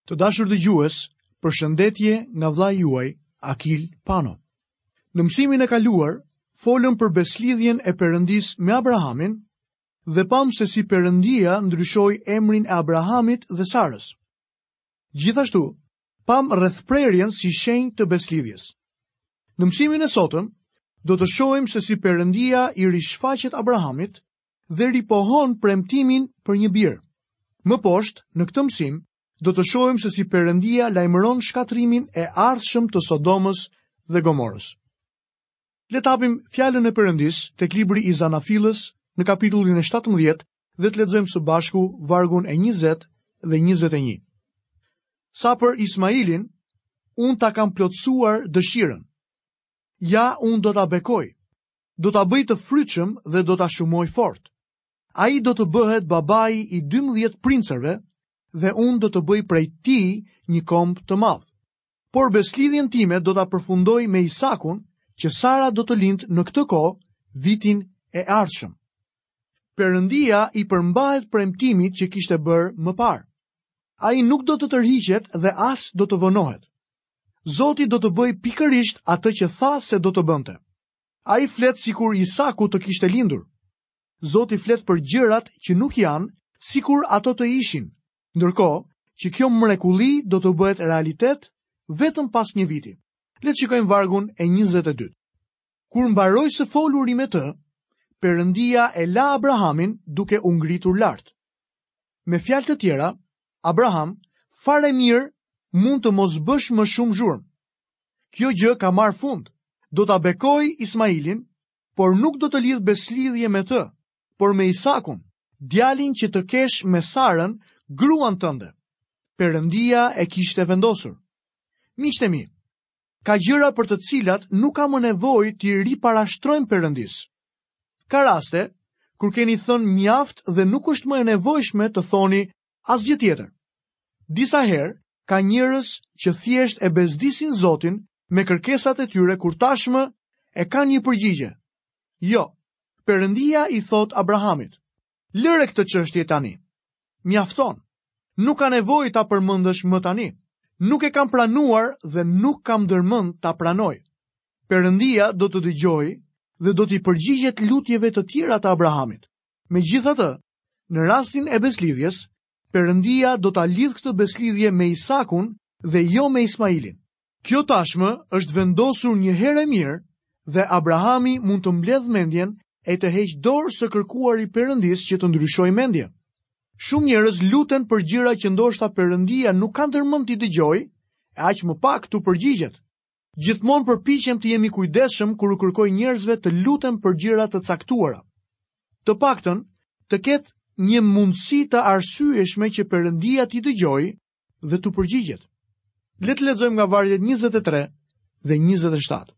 Të dashur dëgjues, përshëndetje nga vëllai juaj Akil Pano. Në mësimin e kaluar, folëm për besëlidhjen e Perëndisë me Abrahamin dhe pamë se si Perëndia ndryshoi emrin e Abrahamit dhe Sarës. Gjithashtu, pamë rrethprerjen si shenjë të besëlidhjes. Në mësimin e sotëm, do të shohim se si Perëndia i rishfaqet Abrahamit dhe ripohon premtimin për një bir. Më poshtë, në këtë mësim, do të shohim se si Perëndia lajmëron shkatërrimin e ardhshëm të Sodomës dhe Gomorës. Le të hapim fjalën e Perëndisë tek libri i Zanafillës në kapitullin e 17 dhe të lexojmë së bashku vargun e 20 dhe 21. Sa për Ismailin, unë ta kam plotësuar dëshirën. Ja, unë do ta bekoj. Do ta bëj të frytshëm dhe do ta shumoj fort. Ai do të bëhet babai i 12 princërve dhe unë do të bëj prej tij një komb të madh. Por besëlidhjen time do ta përfundoj me Isakun, që Sara do të lindë në këtë kohë vitin e ardhshëm. Perëndia i përmbahet premtimit që kishte bërë më parë. Ai nuk do të tërhiqet dhe as do të vonohet. Zoti do të bëjë pikërisht atë që tha se do të bënte. Ai flet sikur Isaku të kishte lindur. Zoti flet për gjërat që nuk janë, sikur ato të ishin, ndërkohë që kjo mrekulli do të bëhet realitet vetëm pas një viti. Le të shikojmë vargun e 22. Kur mbaroi së foluri me të, Perëndia e la Abrahamin duke u ngritur lart. Me fjalë të tjera, Abraham, fare mirë mund të mos bësh më shumë zhurmë. Kjo gjë ka marrë fund. Do ta bekoj Ismailin, por nuk do të lidh besëlidhje me të, por me Isakun, djalin që të kesh me Sarën, gruan tënde. Perëndia e kishte vendosur. Miqtë e mi, ka gjëra për të cilat nuk ka më nevojë t'i riparashtrojmë Perëndisë. Ka raste kur keni thënë mjaft dhe nuk është më e nevojshme të thoni asgjë tjetër. Disa herë ka njerëz që thjesht e bezdisin Zotin me kërkesat e tyre kur tashmë e kanë një përgjigje. Jo, Perëndia i thotë Abrahamit, lëre këtë çështje tani. Mjafton. Nuk ka nevojë ta përmendësh më tani. Nuk e kam pranuar dhe nuk kam ndërmend ta pranoj. Perëndia do të dëgjojë dhe do t'i përgjigjet lutjeve të tjera të Abrahamit. Megjithatë, në rastin e besëlidhjes, Perëndia do ta lidhë këtë besëlidhje me Isakun dhe jo me Ismailin. Kjo tashmë është vendosur një herë e mirë dhe Abrahami mund të mbledhë mendjen e të heqë dorë së kërkuari Perëndisë që të ndryshojë mendje. Shumë njerëz luten për gjëra që ndoshta Perëndia nuk ka ndërmend t'i dëgjojë, e aq më pak t'u përgjigjet. Gjithmonë përpiqem të jem i kujdesshëm kur u kërkoj njerëzve të luten për gjëra të caktuara. Të paktën, të ketë një mundësi të arsyeshme që Perëndia t'i dëgjojë dhe t'u përgjigjet. Le të lexojmë nga vargjet 23 dhe 27.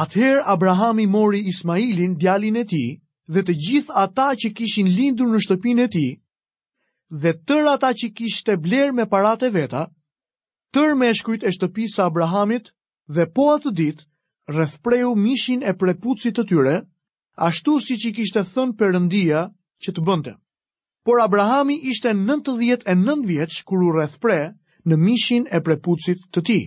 Atëherë Abrahami mori Ismailin, djalin e tij, dhe të gjithë ata që kishin lindur në shtëpinë e tij, dhe tërë ata që kishte blerë me paratë e veta, tërë meshkujt e shtëpisë së Abrahamit dhe po atë ditë rrethpreu mishin e prepucit të tyre, ashtu siç i kishte thënë Perëndia që të bënte. Por Abrahami ishte 99 vjeç kur u rrethpre në mishin e prepucit të tij.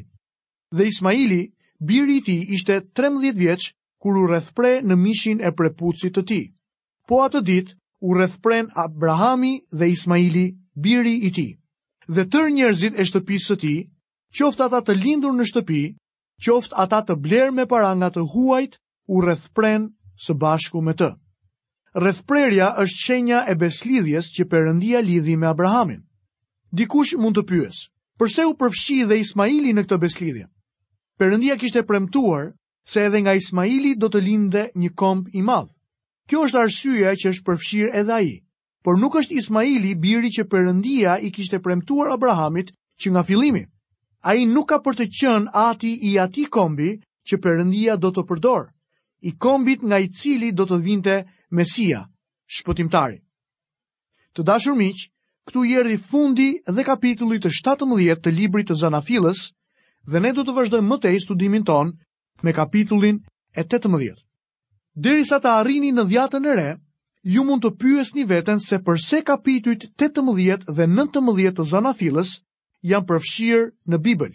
Dhe Ismaili, biri i tij, ishte 13 vjeç kur u rrethpre në mishin e prepucit të tij. Po atë ditë u rrethprenë Abrahami dhe Ismaili, biri i tij. Dhe tërë njerëzit e shtëpisë së tij, qoftë ata të lindur në shtëpi, qoftë ata të blerë me para nga të huajt, u rrethprenë së bashku me të. Rrethprerja është shenja e besëlidhjes që Perëndia lidhi me Abrahamin. Dikush mund të pyesë, përse u përfshi dhe Ismaili në këtë besëlidhje? Perëndia kishte premtuar se edhe nga Ismaili do të lindte një komb i madh. Kjo është arsyeja që është përfshirë edhe ai. Por nuk është Ismaili biri që Perëndia i kishte premtuar Abrahamit që nga fillimi. Ai nuk ka për të qenë ati i atij kombi që Perëndia do të përdorë, i kombit nga i cili do të vinte Mesia, shpëtimtari. Të dashur miq, këtu i erdhi fundi dhe kapitullit të 17 të librit të Zanafillës dhe ne do të vazhdojmë më tej studimin tonë me kapitullin e 18. Derisa të arrini në Dhjatën e Re, ju mund të pyesni veten se përse kapitujt 18 dhe 19 të Zanafillës. janë përfshirë në Bibël.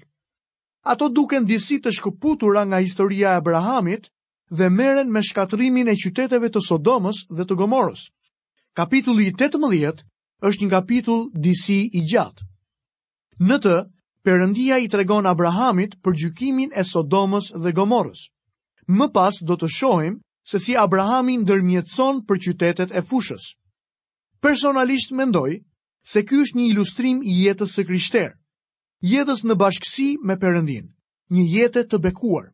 Ato duken disi të shkëputura nga historia e Abrahamit dhe merren me shkatërrimin e qyteteve të Sodomës dhe të Gomorës. Kapitulli 18 është një kapitull disi i gjatë. Në të, Perëndia i tregon Abrahamit për gjykimin e Sodomës dhe Gomorrës. Më pas do të shohim se si Abrahami ndërmjetëson për qytetet e fushës. Personalisht mendoj se ky është një ilustrim i jetës së krishterë, jetës në bashkësi me Perëndinë, një jete të bekuar.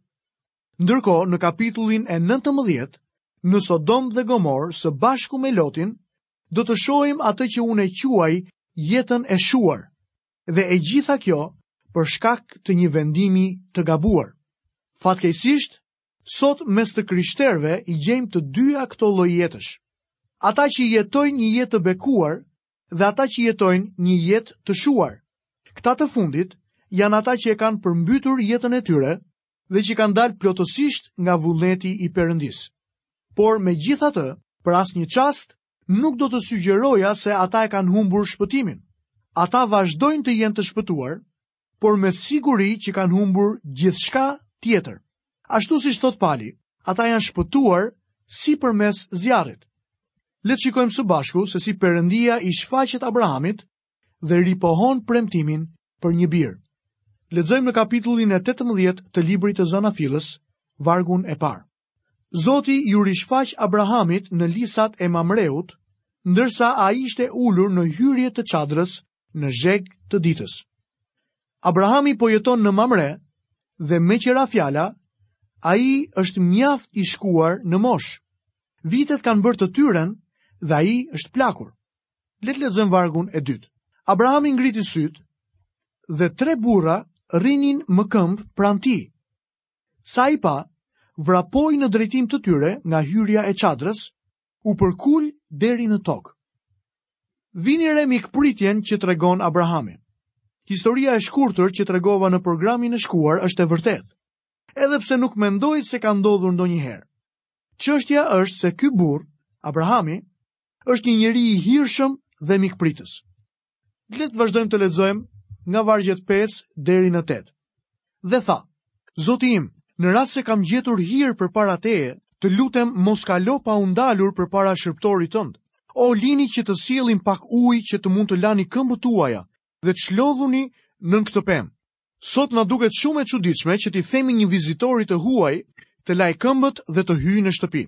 Ndërkohë, në kapitullin e 19, në Sodomë dhe Gomorë së bashku me Lotin, do të shohim atë që unë e quaj jetën e shuar. Dhe e gjitha kjo për shkak të një vendimi të gabuar. Fatkeqësisht, sot mes të krishterëve i gjejmë të dyja këto lloj jetësh. Ata që jetojnë një jetë të bekuar dhe ata që jetojnë një jetë të shuar. Këta të fundit janë ata që e kanë përmbytur jetën e tyre dhe që kanë dalë plotësisht nga vullneti i Perëndisë. Por megjithatë, për asnjë çast nuk do të sugjeroja se ata e kanë humbur shpëtimin. Ata vazhdojnë të jenë të shpëtuar, por me siguri që kanë humbur gjithçka tjetër. Ashtu siç thotë Pali, ata janë shpëtuar si përmes zjarrit. Le të shikojmë së bashku se si Perëndia i shfaqet Abrahamit dhe ripohon premtimin për një bir. Lexojmë në kapitullin e 18 të librit të Zanafillës, vargun e parë. Zoti iu rishfaq Abrahamit në lisat e Mamreut, ndërsa ai ishte ulur në hyrje të çadrës në zheg të ditës. Abrahami po jeton në Mamre dhe meqë ra fjala, ai është mjaft i shkuar në moshë. Vitet kanë bërë të tyren dhe ai është plakur. Le të lexojmë vargun e dytë. Abrahami ngriti sytë dhe tre burra rrinin më këmbë pranë tij. Sa i pa, vrapoi në drejtim të tyre nga hyrja e çadrës, u përkul deri në tokë. Vini re mikpritjen që tregon Abrahami. Historia e shkurtër që tregova në programin e shkuar është e vërtetë, edhe pse nuk mendoj se ka ndodhur ndonjëherë. Çështja është se ky burrë, Abrahami, është një njeri i hirshëm dhe mikpritës. Le të vazhdojmë të lexojmë nga vargjet 5 deri në 8. Dhe tha, Zoti im, në rast se kam gjetur hir përpara teje, të lutem mos kalo pa u ndalur përpara shërbëtorit tënd. O lini që të sjellim pak ujë që të mund të lani këmbët tuaja dhe të çlodhuni nën këtë pemë. Sot na duket shumë e çuditshme që t'i themi një vizitori të huaj të lajë këmbët dhe të hyjë në shtëpi.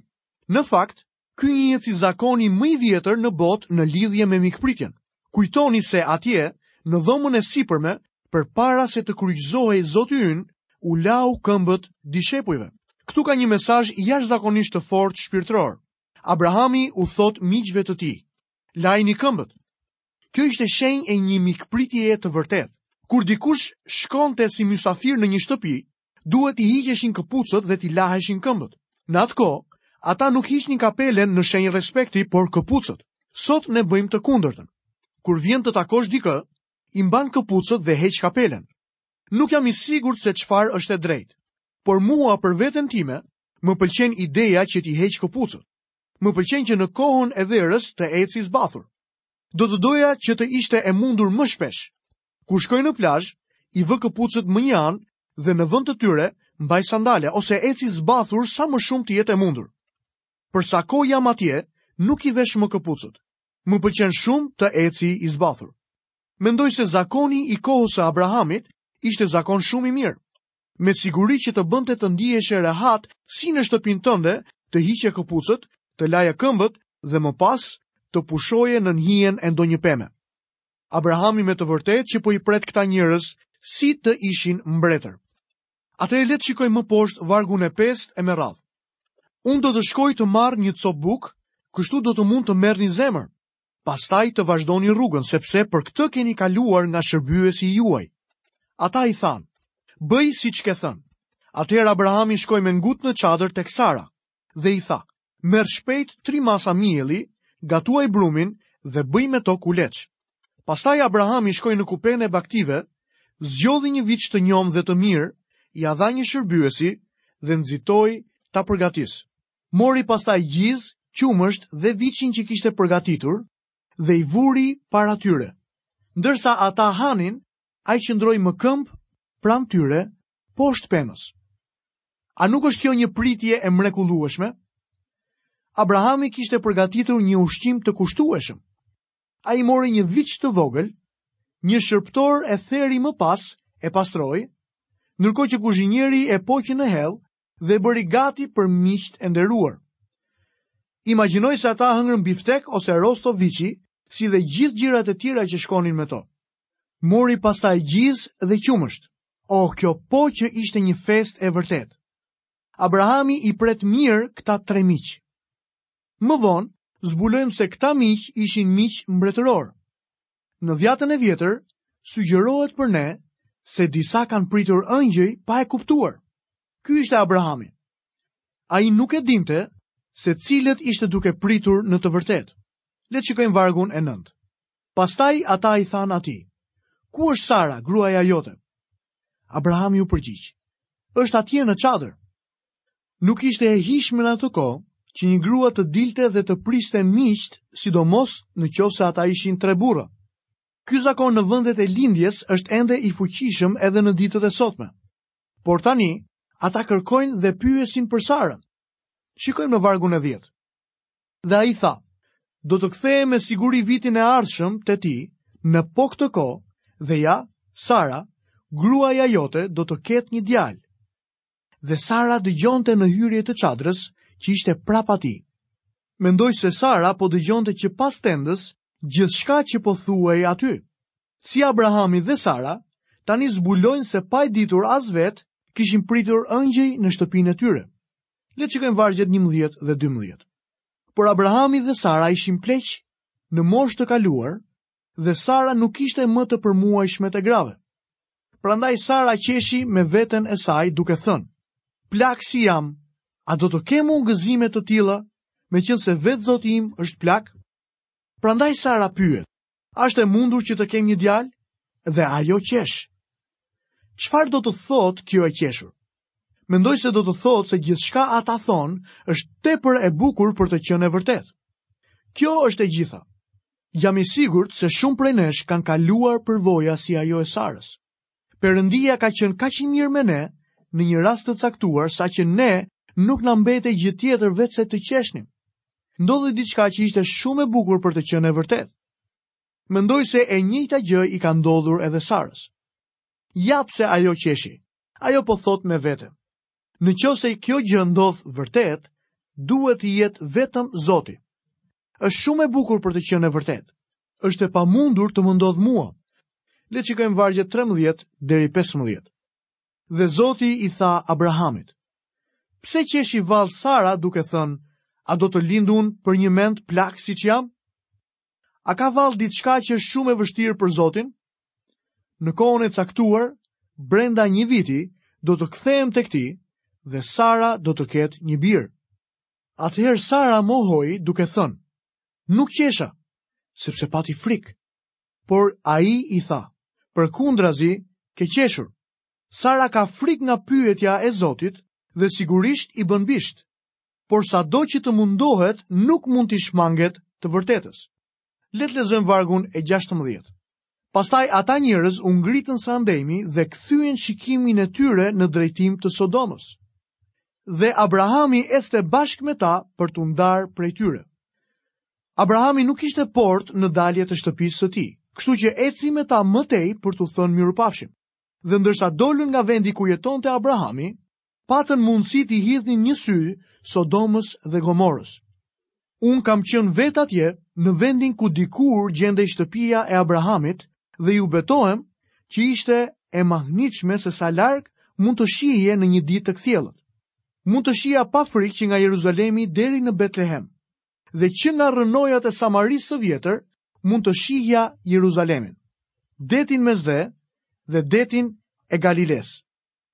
Në fakt, Ky njihet si zakoni më i vjetër në botë në lidhje me mikpritjen. Kujtoni se atje, në dhomën e sipërme, përpara se të kryqëzohej Zoti ynë, u lau këmbët dishepujve. Këtu ka një mesazh jashtëzakonisht të fortë shpirtëror. Abrahami u thotë miqve të tij, lajini këmbët. Kjo ishte shenjë e një mikpritjeje të vërtetë. Kur dikush shkonte si mysafir në një shtëpi, duhet t'i hiqeshin këpucët dhe t'i laheshin këmbët. Në atë kohë, ata nuk hiqnin kapelen në shenjë respekti, por këpucët. Sot ne bëjmë të kundërtën. Kur vjen të takosh dikë, i mban këpucët dhe heq kapelen. Nuk jam i sigurt se çfarë është e drejtë, por mua për veten time më pëlqen ideja që t'i heq këpucët. Më pëlqen që në kohën e verës të eci zbathur. Do të doja që të ishte e mundur më shpesh. Kur shkoj në plazh, i vë këpucët mënjanë dhe në vend të tyre mbaj sandale ose eci zbathur sa më shumë të jetë e mundur. Për sa kohë jam atje, nuk i vesh më këpucët. Më pëlqen shumë të eci i zbathur. Mendoj se zakoni i kohës së Abrahamit ishte zakon shumë i mirë. Me siguri që të bënte të ndiheshe rehat si në shtëpinë tënde, të hiqje këpucët, të laje këmbët dhe më pas të pushoje nën hijen e ndonjë peme. Abrahami me të vërtetë që po i pret këta njerëz si të ishin mbretër. Atëherë le të shikojmë më poshtë vargun e pestë e me radhë. Unë do të shkoj të marr një copë bukë, kështu do të mund të merrni zemër. Pastaj të vazhdoni rrugën, sepse për këtë keni kaluar nga shërbyesi juaj. Ata i thanë, bëj siç ke thënë. Atëherë Abrahami shkoi me ngut në çadër tek Sara dhe i tha, merr shpejt tri masa mielli, gatuaj brumin dhe bëj me to kuleç. Pastaj Abrahami shkoi në kupenë e bagëtive, zgjodhi një viç të njomë dhe të mirë, ia dha një shërbyesi dhe nxitoi ta përgatisë. Mori pastaj gjizë, qumësht dhe viçin që kishte përgatitur dhe i vuri para tyre. Ndërsa ata hanin, Ai qëndroi më këmbë pranë tyre poshtë pemës. A nuk është kjo një pritje e mrekullueshme? Abrahami kishte përgatitur një ushqim të kushtueshëm. Ai mori një viç të vogël, një shërbëtor e theri më pas e pastroi, ndërkohë që kuzhinieri e poqi në hell dhe e bëri gati për miqtë e nderuar. Imagjinoj se ata hëngrën biftek ose rosto viçi, si dhe gjithë gjërat e tjera që shkonin me to. Mori pastaj gjizë dhe qumësht. Oh, kjo po që ishte një festë e vërtetë. Abrahami i pret mirë këta tre miq. Më vonë, zbulojmë se këta miq ishin miq mbretërorë. Në Dhjatën e Vjetër, sugjerohet për ne se disa kanë pritur ëngjëj pa e kuptuar. Ky ishte Abrahami. Ai nuk e dinte se cilët ishte duke pritur në të vërtetë. Le të shikojmë vargun e 9. Pastaj ata i thanë atij, Ku është Sara, gruaja jote? Abrahami u përgjigj, Është atje në çadër. Nuk ishte e hijshme në atë kohë që një grua të dilte dhe të priste miqtë, sidomos në qoftë se ata ishin tre burra. Ky zakon në vendet e lindjes është ende i fuqishëm edhe në ditët e sotme. Por tani, ata kërkojnë dhe pyesin për Sarën. Shikojmë në vargun e 10. Dhe ai tha, do të kthehem me siguri vitin e ardhshëm te ti, në po këtë kohë, dhe ja, Sara, gruaja jote do të ketë një djalë. Dhe Sara dëgjonte në hyrje të çadrës që ishte prapa tij. Mendoj se Sara po dëgjonte që pas tendës gjithçka që po thuhej aty. Si Abrahami dhe Sara, tani zbulojnë se pa e ditur as vetë, kishin pritur ëngjëj në shtëpinë e tyre. Le të shikojmë vargjet 11 dhe 12. Por Abrahami dhe Sara ishin pleq në moshë të kaluar dhe Sara nuk ishte më të përmuajshmet e grave. Prandaj Sara qeshi me veten e saj duke thënë, plak si jam, a do të kem unë gëzime të tilla, meqenëse vetë zoti im është plak? Prandaj Sara pyet, a është e mundur që të kem një djalë? Dhe ajo qesh. Çfarë do të thotë kjo e qeshur? Mendoj se do të thotë se gjithçka ata thonë është tepër e bukur për të qenë e vërtetë. Kjo është e gjitha. Jam i sigurt se shumë prej nesh kanë kaluar përvoja si ajo e Sarës. Perëndia ka qenë kaq i mirë me ne në një rast të caktuar saqë ne nuk na mbetej gjë tjetër veçse të qeshnim. Ndodhi diçka që ishte shumë e bukur për të qenë e vërtetë. Mendoj se e njëjta gjë i ka ndodhur edhe Sarës. Ja pse ajo qeshi. Ajo po thotë me vete. Në qoftë se kjo gjë ndodh vërtet, duhet të jetë vetëm Zoti. Është shumë e bukur për të qenë e vërtetë. Është e pamundur të më ndodhë mua. Le të shikojmë vargjet 13 deri 15. Dhe Zoti i tha Abrahamit: Pse qeshi vallë Sara duke thënë, a do të lind unë përnjëmend plak siç jam? A ka vallë diçka që është shumë e vështirë për Zotin? Në kohën e caktuar, brenda një viti, do të kthehem tek ti dhe Sara do të ketë një bir. Atëherë Sara mohoi duke thënë, nuk qesha, sepse pati frikë. Por ai i tha, përkundrazi ke qeshur. Sara ka frikë nga pyetja e Zotit dhe sigurisht i bën bisht. Por sado që të mundohet, nuk mund t'i shmanget të vërtetës. Le të lexojmë vargun e 16. Pastaj ata njerëz u ngritën së andejmi dhe kthyen shikimin e tyre në drejtim të Sodomës. Dhe Abrahami ecte bashkë me ta për t'u ndarë prej tyre. Abrahami nuk kishte portë në dalje të shtëpisë së tij, kështu që eci me ta më tej për t'u thënë mirupafshim. Dhe ndërsa dolën nga vendi ku jetonte Abrahami, patën mundësi t'i hidhnin një sy Sodomës dhe Gomorës. Unë kam qenë vetë atje në vendin ku dikur gjendej shtëpia e Abrahamit dhe ju betohem që ishte e mahnitshme se sa larg mund të shihje në një ditë të kthjellët. Mund të shihja pa frikë që nga Jeruzalemi deri në Betlehem dhe që nga rrënojat e Samarisë së vjetër mund të shihja Jeruzalemin, detin Mesdhe dhe detin e Galilesë.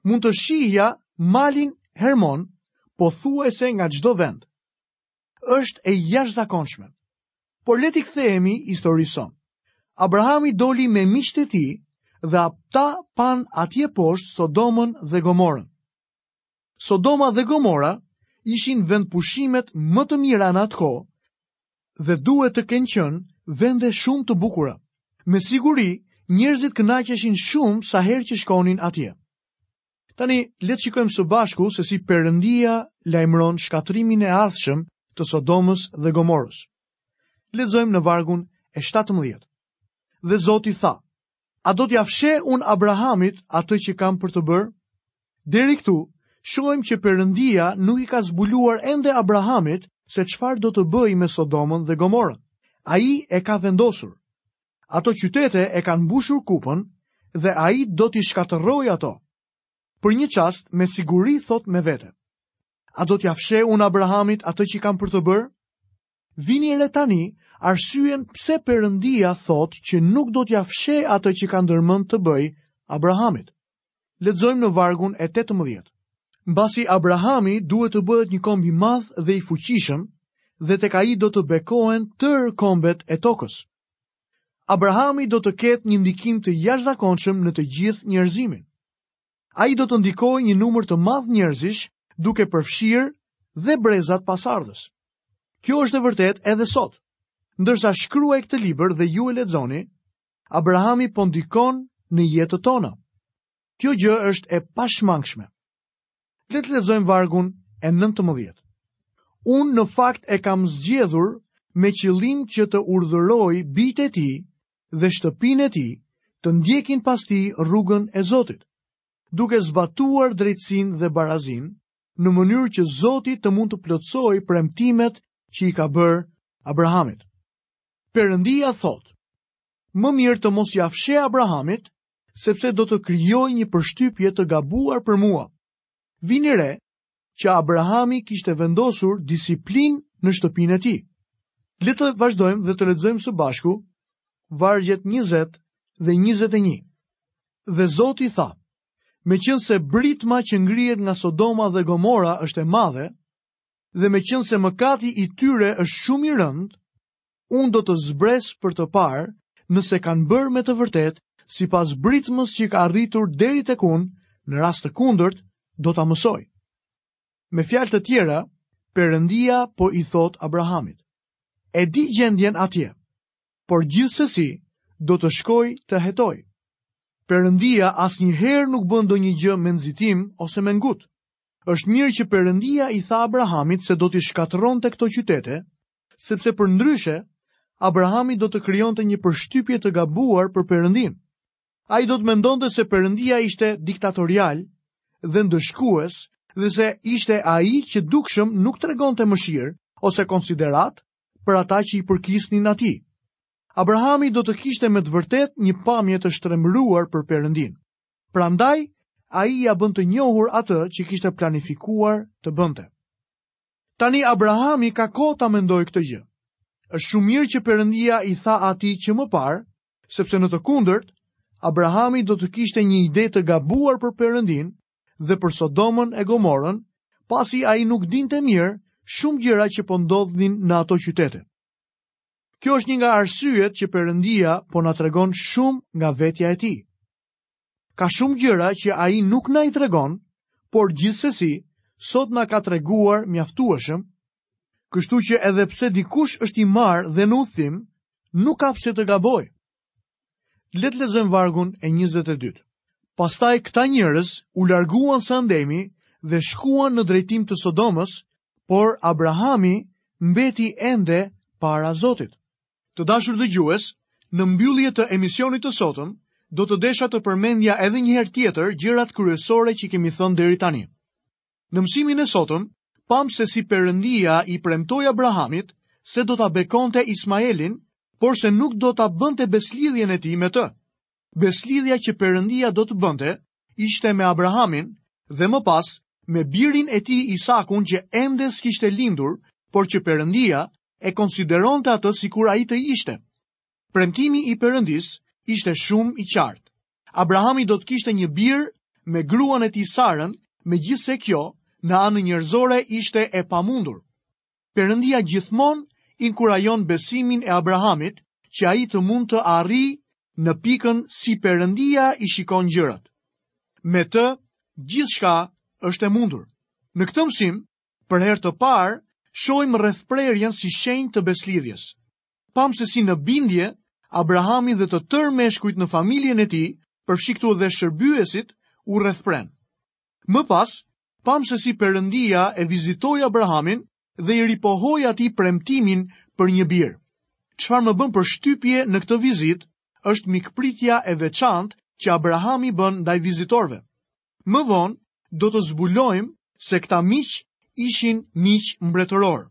Mund të shihja malin Hermon pothuajse nga çdo vend. Është e jashtëzakonshme. Por le t'i kthehemi historisë sonë. Abrahami doli me miqtë e tij dhe ata panë atje poshtë Sodomën dhe Gomorën. Sodoma dhe Gomora ishin vendpushimet më të mira në atë kohë dhe duhet të kenë qenë vende shumë të bukura. Me siguri, Njerëzit kënaqeshin shumë sa herë që shkonin atje. Tani, le të shikojmë së bashku se si Perëndia lajmëron shkatërrimin e ardhshëm të Sodomës dhe Gomorës. Lexojmë në vargun e 17. Dhe Zoti tha, A do t'ia fsheh unë Abrahamit atë që kam për të bërë? Deri këtu, shohim që Perëndia nuk i ka zbuluar ende Abrahamit se çfarë do të bëjë me Sodomën dhe Gomorën. Ai e ka vendosur. Ato qytete e kanë mbushur kupën dhe ai do t'i shkatërrojë ato. Për një çast me siguri thotë me vete. A do t'ia fsheh unë Abrahamit atë që kam për të bërë? Vini re tani arsyen pse Perëndia thotë që nuk do t'ia fshehë atë që ka ndërmend të bëjë Abrahamit. Lexojmë në vargun e 18. Mbasi Abrahami duhet të bëhet një komb i madh dhe i fuqishëm, dhe tek ai do të bekohen tërë kombet e tokës. Abrahami do të ketë një ndikim të jashtëzakonshëm në të gjithë njerëzimin. Ai do të ndikojë një numër të madh njerëzish, duke përfshirë dhe brezat pasardhës. Kjo është e vërtetë edhe sot. Ndërsa shkruaj këtë libër dhe ju e lexoni, Abrahami po ndikon në jetët tona. Kjo gjë është e pashmangshme. Le të lexojmë vargun e 19. Unë në fakt e kam zgjedhur me qëllim që të urdhëroj bijtë e tij dhe shtëpinë e tij të ndjekin pas tij rrugën e Zotit, duke zbatuar drejtësinë dhe barazinë, në mënyrë që Zoti të mund të plotësojë premtimet që i ka bërë Abrahamit. Perëndia thotë: Më mirë të mos ia fsheh Abrahamit, sepse do të krijojë një përshtypje të gabuar për mua. Vini re që Abrahami kishte vendosur disiplinë në shtëpinë e tij. Le të vazhdojmë dhe të lexojmë së bashku vargjet 20 dhe 21. Dhe Zoti tha, meqenëse britma që ngrihet nga Sodoma dhe Gomora është e madhe, dhe meqenëse mëkati i tyre është shumë i rëndë, unë do të zbres për të parë nëse kanë bërë me të vërtetë sipas britmës që ka arritur deri tek unë, në rast të kundërt do ta mësoj. Me fjalë të tjera, Perëndia po i thotë Abrahamit: E di gjendjen atje, por gjithsesi do të shkoj të hetoj. Perëndia asnjëherë nuk bën ndonjë gjë me nxitim ose me ngut. Është mirë që Perëndia i tha Abrahamit se do t'i shkatërronte këto qytete, sepse përndryshe Abrahami do të krijonte një përshtypje të gabuar për Perëndinë. Ai do të mendonte se Perëndia ishte diktatorial dhe ndëshkues dhe se ishte ai që dukshëm nuk tregonte mëshirë ose konsideratë për ata që i përkisnin atij. Abrahami do të kishte me të vërtetë një pamje të shtrembëruar për Perëndinë. Prandaj, ai ia bën të njohur atë që kishte planifikuar të bënte. Tani Abrahami ka kohë ta mendojë këtë gjë. Është shumë mirë që Perëndia i tha atij që më parë, sepse në të kundërt, Abrahami do të kishte një ide të gabuar për Perëndinë dhe për Sodomën e Gomorën, pasi ai nuk dinte mirë shumë gjëra që po ndodhnin në ato qytete. Kjo është një nga arsyet që Perëndia po na tregon shumë nga vetja e tij. Ka shumë gjëra që ai nuk na i tregon, por gjithsesi sot na ka treguar mjaftueshëm, kështu që edhe pse dikush është i marrë dhe në udhëtim, nuk ka pse të gabojë. Le të lexojmë vargun e 22. Pastaj këta njerëz u larguan së andejmi dhe shkuan në drejtim të Sodomës, por Abrahami mbeti ende para Zotit. Të dashur dëgjues, në mbyllje të emisionit të sotëm, do të desha të përmendja edhe një herë tjetër gjërat kryesore që kemi thënë deri tani. Në mësimin e sotëm, pamë se si Perëndia i premtoi Abrahamit se do ta bekonte Ismaelin, por se nuk do ta bënte besëlidhjen e tij me të. Besëlidhja që Perëndia do të bënte ishte me Abrahamin dhe më pas me birin e tij Isakun që ende s'kishte lindur, por që Perëndia e konsideronte atë sikur ai të ishte. Premtimi i Perëndisë ishte shumë i qartë. Abrahami do të kishte një bir me gruan e tij Sarën, megjithëse kjo në anën njerëzore ishte e pamundur. Perëndia gjithmonë inkurajon besimin e Abrahamit që ai të mund të arrijë në pikën si Perëndia i shikon gjërat. Me të, gjithçka është e mundur. Në këtë mësim, për herë të parë, shohim rrethprerjen si shenjë të besëlidhjes. Pamë se si në bindje, Abrahami dhe të tërë meshkujt në familjen e tij, përfshi këtu dhe shërbyesit, u rrethprenë. Më pas, pamë se si Perëndia e vizitoi Abrahamin dhe i ripohoi atij premtimin për një bir. Çfarë më bën përshtypje në këtë vizitë është mikpritja e veçantë që Abrahami bën ndaj vizitorëve. Më vonë do të zbulojmë se këta miq ishin miq mbretërorë.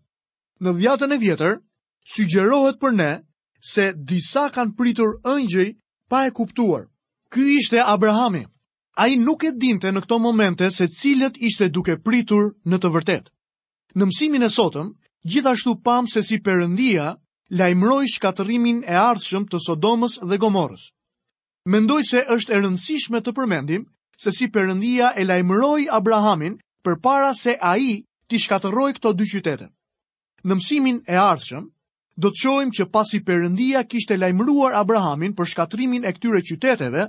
Në Dhjatën e Vjetër sugjerohet për ne se disa kanë pritur ëngjëj pa e kuptuar. Ky ishte Abrahami. Ai nuk e dinte në këto momente se cilët ishte duke pritur në të vërtetë. Në mësimin e sotëm, gjithashtu pamë se si Perëndia lajmëroi shkatërrimin e ardhshëm të Sodomës dhe Gomorrës. Mendoj se është e rëndësishme të përmendim se si Perëndia e lajmëroi Abrahamin përpara se ai t'i shkatërrojë këto dy qytete. Në mësimin e ardhshëm, do të shohim që pasi Perëndia kishte lajmëruar Abrahamin për shkatërrimin e këtyre qyteteve,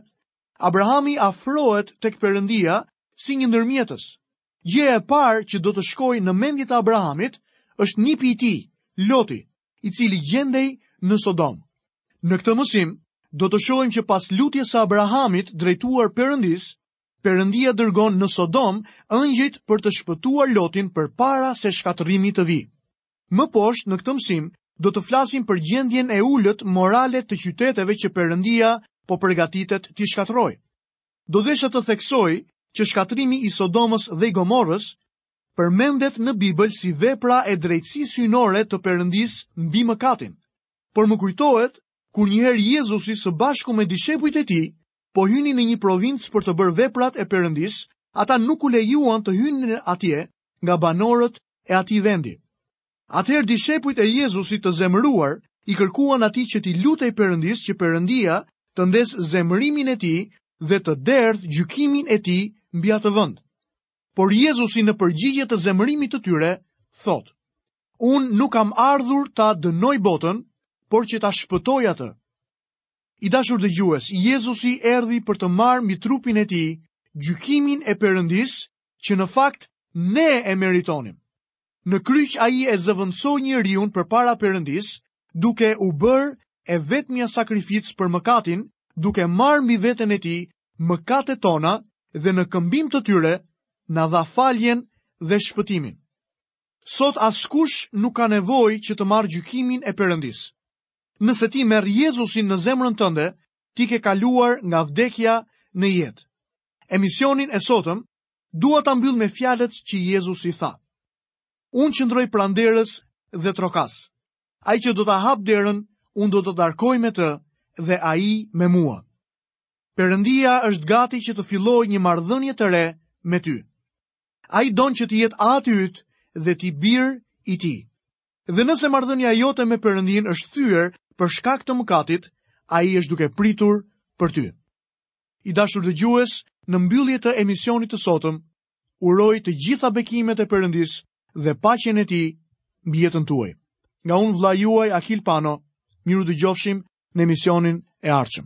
Abrahami afrohet tek Perëndia si një ndërmjetës. Gjëja e parë që do të shkojë në mendje të Abrahamit është nipi i tij, Loti, i cili gjendej në Sodomë. Në këtë mësim, do të shohim që pas lutjes së Abrahamit drejtuar Perëndisë, Perëndia dërgon në Sodomë ëngjëjt për të shpëtuar Lotin përpara se shkatërrimi të vijë. Më poshtë në këtë mësim do të flasim për gjendjen e ulët morale të qyteteve që Perëndia po përgatitet t'i shkatërrojë. Do desha të theksoj që shkatërrimi i Sodomës dhe i Gomorrës përmendet në Bibël si vepra e drejtësisë hyjnore të Perëndisë mbi mëkatin. Por më kujtohet kur njëherë Jezusi së bashku me dishepujt e tij po hynin në një provincë për të bërë veprat e Perëndisë, ata nuk u lejuan të hynin atje nga banorët e atij vendi. Atëherë dishepujt e Jezusit të zemëruar i kërkuan atij që t'i lutej Perëndisë që Perëndia të ndezë zemërimin e tij dhe të derdhë gjykimin e tij mbi atë vend. Por Jezusi në përgjigje të zemërimit të tyre thotë: Unë nuk kam ardhur ta dënoj botën, por që ta shpëtoj atë. I dashur dëgjues, Jezusi erdhi për të marrë mbi trupin e tij gjykimin e Perëndisë që në fakt ne e meritonim. Në kryq ai e zëvendësoi njeriun përpara Perëndisë, duke u bërë e vetmja sakrificë për mëkatin, duke marrë mbi veten e tij mëkatet tona dhe në këmbim të tyre na dha faljen dhe shpëtimin. Sot askush nuk ka nevojë që të marrë gjykimin e Perëndisë. Nëse ti merr Jezusin në zemrën tënde, ti ke kaluar nga vdekja në jetë. Emisionin e sotëm Dua ta mbyll me fjalët që Jezusi tha. Unë qëndroj pranë derës dhe trokas. Ai që do ta hapë derën, unë do të darkoj me të dhe ai me mua. Perëndia është gati që të fillojë një marrëdhënie të re me ty. Ai don që të jetë ati yt dhe ti bir i tij. Dhe nëse marrëdhënia jote me Perëndinë është thyer për shkak të mëkatit, ai është duke pritur për ty. I dashur dëgjues, në mbyllje të emisionit të sotëm, uroj të gjitha bekimet e Perëndisë dhe paqen e tij mbi jetën tuaj. Nga unë vëllai juaj Akil Pano, mirudëgjofshim në emisionin e ardhshëm.